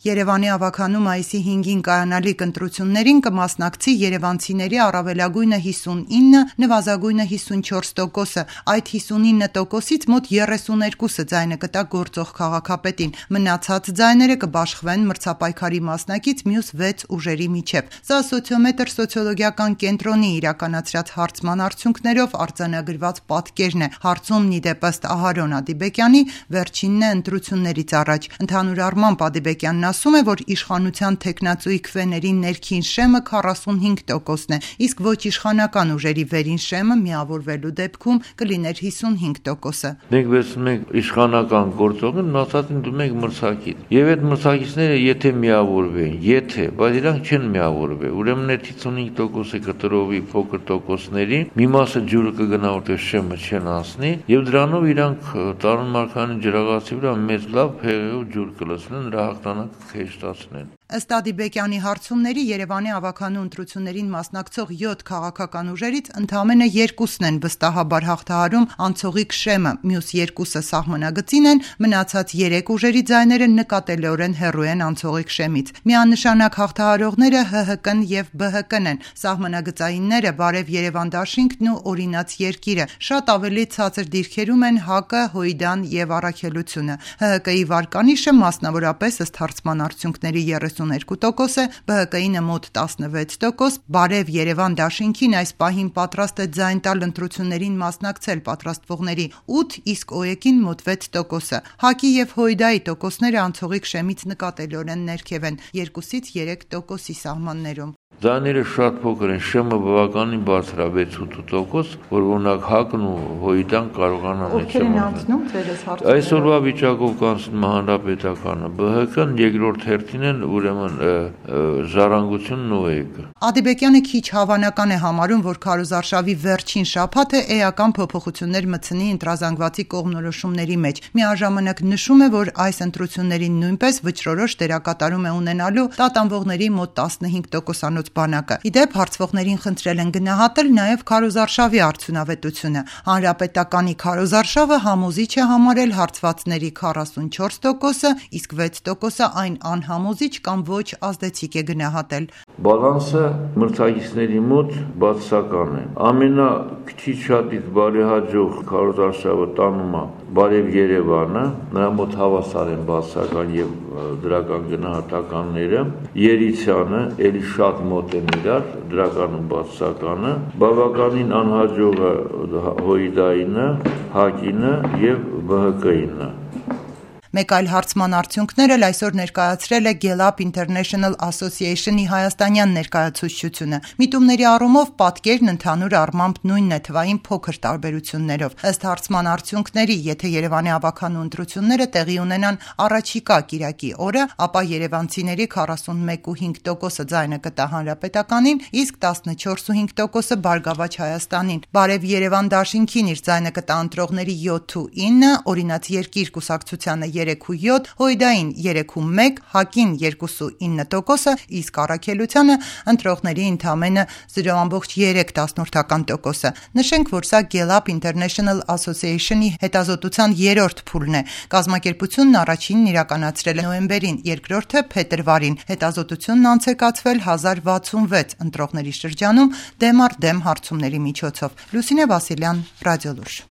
Երևանի ավագանու մայիսի 5-ին կայանալիք ընտրություններին կմասնակցի երևանցիների առավելագույնը 59, նվազագույնը 54%-ը, այդ 59%-ից մոտ 32-ը ձայնը կտա գործող քաղաքապետին, մնացած ձայները կբաշխվեն մրցապայքարի մասնակից մյուս 6 ուժերի միջև։ Սա Սոցիոմետր սոցիոլոգիական կենտրոնի իրականացրած հարցման արդյունքներով արձանագրված պատկերն է։ Հարցումն ի դեպ ըստ Ահարոն Ադիբեկյանի վերջինն է ընտրություններից առաջ։ Ընդհանուր առմամբ Ադիբեկյանն ասում է, որ իշխանության թեկնածուի քվեների ներքին շեմը 45%-ն է, իսկ ոչ իշխանական ուժերի վերին շեմը միավորվելու դեպքում կլիներ 55%-ը։ Մենք վերցնում ենք իշխանական գործողին, մնացածին դնում ենք մրցակից։ Եվ այդ մրցակիցները եթե միավորվեն, բայց իրանք չեն միավորվել, ուրեմն այդ 55%-ը կտրովի փոքր տոկոսների, մի մասը ջուրը կգնա, որտեղ շեմը չեն անցնի, եւ դրանով իրանք Տարոն Մարգարյանի ջրաղացի վրա մեծ լավ փեղեով ջուր կլցնեն, նրա հաղթանակը կհեշտացնեն։ Ըստ Ադիբեկյանի հարցումների Երևանի ավագանու ընտրություններին մասնակցող 7 քաղաքական ուժերից ընդամենը 2-ն են վստահաբար հաղթահարում անցողիկ շեմը, մյուս 2-ը սահմանագծին են, մնացած 3 ուժերի ձայները նկատելիորեն հեռու են անցողիկ շեմից։ Միանշանակ հաղթահարողները ՀՀԿ-ն եւ ԲՀԿ-ն են, սահմանագծայինները Բարև Երևան դաշինքն ու Օրինաց երկիրը, շատ ավելի ցածր դիրքերում են ՀԱԿ-ը, Հույդան եւ Առաքելությունը։ ՀՀԿ-ի վարկանիշը մասնավորապես ըստ հարցման արդյունքների 32%, ԲՀԿ-ինը մոտ 16%, Բարև Երևան դաշինքին այս պահին պատրաստ է ձայն տալ ընտրություններին մասնակցել պատրաստվողների 8, իսկ ՕԵԿ-ին մոտ 6%։ ՀԱԿ-ի եւ Հույդայի տոկոսները անցողիկ շեմից նկատելիորեն ներքև են 2-ից 3%-ի սահմաններում։ Ձայները շատ փոքր են, շեմը բավականին բարձր է 6-8%, որ օրինակ ՀԱԿ-ն ու Հույդան կարողանան այդ շեմը։ Այսօրվա վիճակով կանցնում Հանրապետականը, ԲՀԿ-ն երկրորդ հերթին են, ուրեմն Ժառանգությունն ու ՕԵԿ-ը։ Ադիբեկյանը քիչ հավանական է համարում, որ քարոզարշավի վերջին շաբաթը էական փոփոխություններ մտցնի ընտրազանգվածի կողմնորոշումների մեջ։ Միաժամանակ նշում է, որ այս ընտրություններին նույնպես վճռորոշ դերակատարում է ունենալու տատանվողների մոտ 15%-անոց բանակը։ Ի դեպ, հարցվողներին խնդրել են գնահատել նաև քարոզարշավի արդյունավետությունը։ Հանրապետականի քարոզարշավը համոզիչ է համարել հարցվածների 44%-ը, իսկ 6%-ը այն անհամոզիչ կամ ոչ ազդեցիկ է գնահատել։ Բալանսը մրցակիցների մոտ բացասական է։ Ամենաքիչ շատից բարեհաջող քարոզարշավը տանում է Բարև Երևանը, նրա մոտ հավասար են բացասական եւ դրական գնահատականները, Երիցյանը էլի շատ մոտ են իրար, դրականում բացասականը, բավականին անհաջողը Հույդայինը, ՀԱԿ-ինը եւ ԲՀԿ-ինը։ Մեկ այլ հարցման արդյունքներ էլ այսօր ներկայացրել է Gallup International Association-ի հայաստանյան ներկայացուցչությունը։ Միտումների առումով պատկերն ընդհանուր առմամբ նույնն է թվային փոքր տարբերություններով։ Ըստ հարցման արդյունքների, եթե Երևանի ավագանու ընտրությունները տեղի ունենան առաջիկա կիրակի օրը, ապա երևանցիների 41.5%-ը ձայնը կտա Հանրապետականին, իսկ 14.5%-ը Բարգավաճ Հայաստանին։ Բարև Երևան դաշինքին իր ձայնը կտա ընտրողների 7.9, Օրինաց երկիր կուսակցությանը 3.7, Հույդային 3.1, ՀԱԿ-ին 2.9%, իսկ Առաքելությանը ընտրողների ընդամենը 0.3%։ Նշենք, որ սա Gallup International Association-ի հետազոտության 3-րդ փուլն է։ Կազմակերպությունն առաջինն իրականացրել է նոյեմբերին, երկրորդը փետրվարին։ Հետազոտությունն անցեկացվել 1066 ընտրողների շրջանում դեմ առ դեմ հարցումների միջոցով։ Լուսինե Վասիլյան, Ռադիոլուրջ։